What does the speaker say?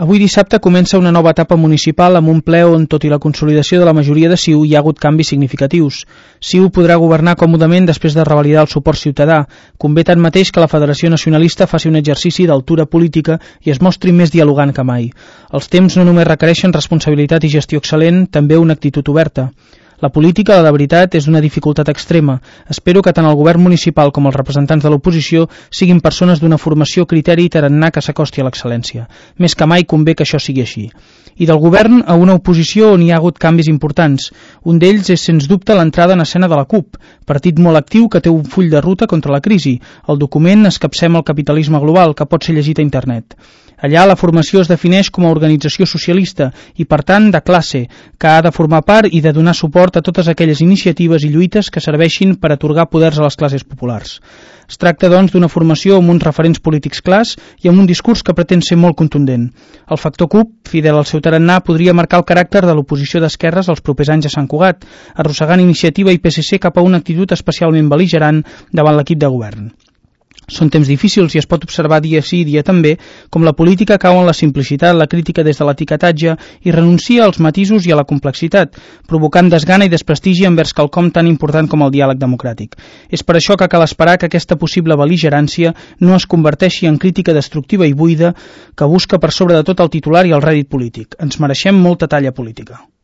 Avui dissabte comença una nova etapa municipal amb un ple on, tot i la consolidació de la majoria de CiU, hi ha hagut canvis significatius. CiU podrà governar còmodament després de revalidar el suport ciutadà. Convé tanmateix que la Federació Nacionalista faci un exercici d'altura política i es mostri més dialogant que mai. Els temps no només requereixen responsabilitat i gestió excel·lent, també una actitud oberta. La política, la de veritat, és d'una dificultat extrema. Espero que tant el govern municipal com els representants de l'oposició siguin persones d'una formació, criteri i tarannà que s'acosti a l'excel·lència. Més que mai convé que això sigui així. I del govern a una oposició on hi ha hagut canvis importants. Un d'ells és, sens dubte, l'entrada en escena de la CUP, partit molt actiu que té un full de ruta contra la crisi. El document Escapcem el capitalisme global, que pot ser llegit a internet. Allà la formació es defineix com a organització socialista i, per tant, de classe, que ha de formar part i de donar suport a totes aquelles iniciatives i lluites que serveixin per atorgar poders a les classes populars. Es tracta, doncs, d'una formació amb uns referents polítics clars i amb un discurs que pretén ser molt contundent. El factor CUP, fidel al seu tarannà, podria marcar el caràcter de l'oposició d'esquerres els propers anys a Sant Cugat, arrossegant Iniciativa i PSC cap a una actitud especialment bel·ligerant davant l'equip de govern. Són temps difícils i es pot observar dia sí dia també com la política cau en la simplicitat, la crítica des de l'etiquetatge i renuncia als matisos i a la complexitat, provocant desgana i desprestigi envers quelcom tan important com el diàleg democràtic. És per això que cal esperar que aquesta possible bel·ligerància no es converteixi en crítica destructiva i buida que busca per sobre de tot el titular i el rèdit polític. Ens mereixem molta talla política.